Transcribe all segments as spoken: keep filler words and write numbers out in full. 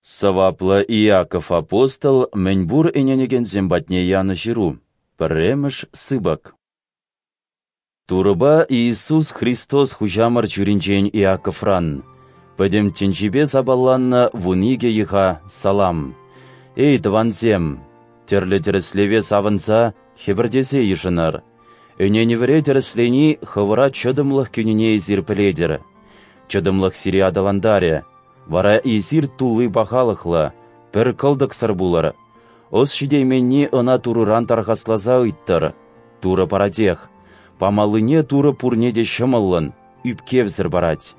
Сӑваплӑ Иаков апостол мӗнпур ӗненекенсем патне янӑ ҫыру, пӗрремӗш сыпӑк. Турӑпа Иисус Христос Хуҫамӑр чуринчен Иаковран, пӗтӗм тӗнчипе сапаланнӑ вун икӗ йӑха салам! Эй, тӑвансем! Тӗрлӗ тӗрӗслеве савӑнса, хӗпӗртесе йышӑнӑр. Ӗненӗвӗре тӗрӗслени хӑвӑра чӑтӑмлӑх кӳнине эсир пӗлетӗр. Чӑтӑмлӑх сире аталантарӗ, вара эсир тулли пахалӑхлӑ, пӗр кӑлтӑксӑр пулӑр. Ӑс ҫитейменни ӑна Турӑран тархасласа ыйттӑр. Турӑ паратех. Памаллине Турӑ пурне те ҫӑмӑллӑн, ӳпкевсӗр парать.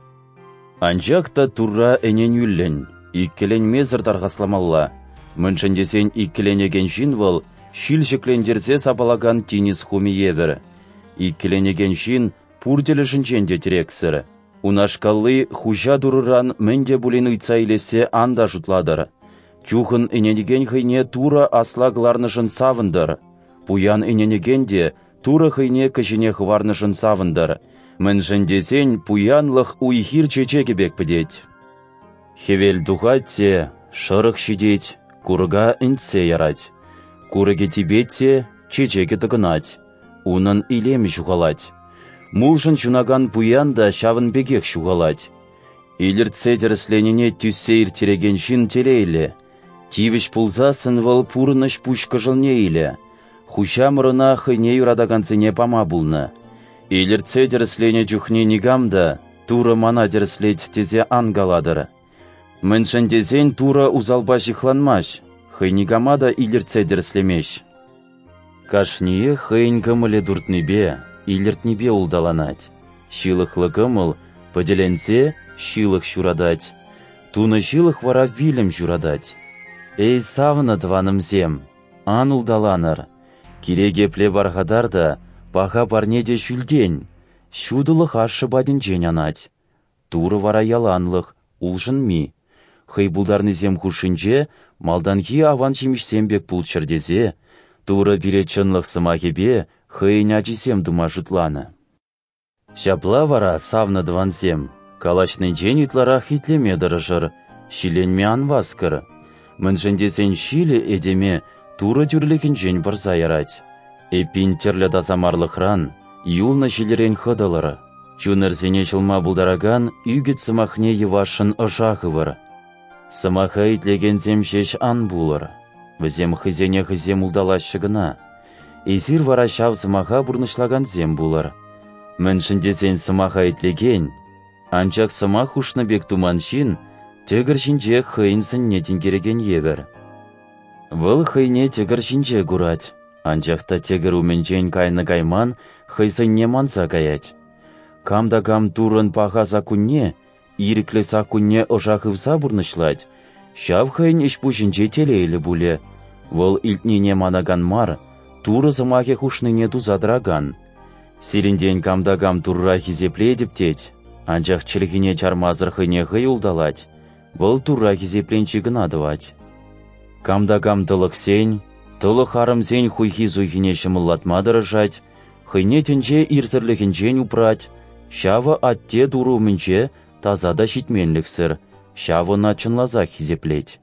Анчах та Турра ӗненӳллӗн, иккӗленмесӗр тархасламалла, мӗншӗн тесен иккӗленекен ҫын вӑл ҫил ҫӗклентерсе сапалакан тинӗс хумӗ евӗр. Иккӗленекен ҫын пур тӗлӗшӗнчен те тӗрексӗр. Унашкалли хуҫа Турӑран мӗн те пулин ыйтса илессе ан та шутлатӑр. Чухӑн ӗненекен хӑйне Турӑ асла кӑларнӑшӑн савӑнтӑр. Пуян ӗненекен те Турӑ хӑйне кӗҫӗне хӑварнӑшӑн савӑнтӑр. Мӗншӗн тесен пуянлӑх уй-хир чечекӗ пек пӗтет. Хӗвел тухать те, шӑрӑх ҫитет, курӑка ӗнтсе ярать. Курӑкӗ типет те, чечекӗ тӑкӑнать. Унӑн илемӗ ҫухалать. Мулшӑн ҫунакан пуян та ҫавӑн пекех ҫухалать. Илӗртсе тӗрӗсленине тӳссе ирттерекен ҫын телейлӗ. Тивӗҫ пулсассӑн вӑл пурӑнӑҫ пуҫ кӑшӑлне илӗ. Хуҫамӑр ӑна хӑйне юратакансене пама пулнӑ. Илӗртсе тӗрӗсленӗ чухне никам та «Турӑ мана тӗрӗслет» тесе ан калатӑр. Мӗншӗн тесен Турӑ усалпа ҫыхланмасть, хӑй никама та илӗртсе тӗрӗслемест. Кашниех хӑйӗн кӑмӑлӗ туртнипе, илӗртнипе улталанать. Ҫылӑхлӑ кӑмӑл, пӗтӗленсе, ҫылӑх ҫуратать. Тунӑ ҫылӑх вара вилӗм ҫуратать. Эй, савнӑ тӑванӑмсем, ан улталанӑр. Кирек епле пархатар та, паха парне те ҫӳлтен, ҫутӑлӑх ашшӗ патӗнчен анать. Турӑ вара яланлӑх, улшӑнми. Хӑй пултарнисем хушшинче малтанхи аван ҫимӗҫсем пек пулччӑр тесе, Турӑ пире чӑнлӑх сӑмахӗпе хӑйӗн ачисем тума шутланӑ. Ҫапла вара, савнӑ тӑвансем, калаҫнинчен ытларах итлеме тӑрӑшӑр, ҫилленме ан васкӑр. Мӗншӗн тесен ҫилӗ этеме Турӑ тӳрлӗхӗнчен пӑрса ярать. Эппин тӗрлӗ тасамарлӑхран, юлнӑ ҫилӗрен хӑтӑлӑр. Чунӑрсене ҫӑлма пултаракан ӳкӗт сӑмахне йӑвашшӑн ӑша хывӑр. Сӑмаха итлекенсем ҫеҫ ан пулӑр. Вӗсем хӑйсене хӑйсем улталаҫҫӗ кӑна. Эсир вара ҫав сӑмаха пурнӑҫлакансем пулӑр. Мӗншӗн тесен сӑмаха итлекен, анчах сӑмах хушнӑ пек туман ҫын тӗкӗр ҫинче хӑйӗн сӑнне тинкерекен евӗр. Вӑл хӑйне тӗкӗр ҫинче курать, анчах та тӗкӗр умӗнчен кайнӑ-кайман хӑй сӑнне манса каять. Кам та кам Туррӑн паха саккунне, ирӗклӗ саккунне ӑша хывса пурнӑҫлать, ҫав хӑйӗн ӗҫ-пуҫӗнче телейлӗ пулӗ. Вӑл илтнине манакан мар, Турӑ сӑмахӗ хушнине туса тӑракан. Сирӗнтен кам та кам Турра хисеплетӗп тет, анчах чӗлхине чармасӑр хӑйне хӑй улталать, вӑл Турра хисепленҫи кӑна тӑвать. Кам та кам тӑлӑхсен, тӑлӑх арӑмсен хуйхи-суйхине ҫӑмӑллатма тӑрӑшать, хӑйне тӗнче ирсӗрлӗхӗнчен упрать, ҫавӑ атте Турӑ умӗнче таса та ҫитменлӗхсӗр, ҫавӑ ӑна чӑнласах хисеплет.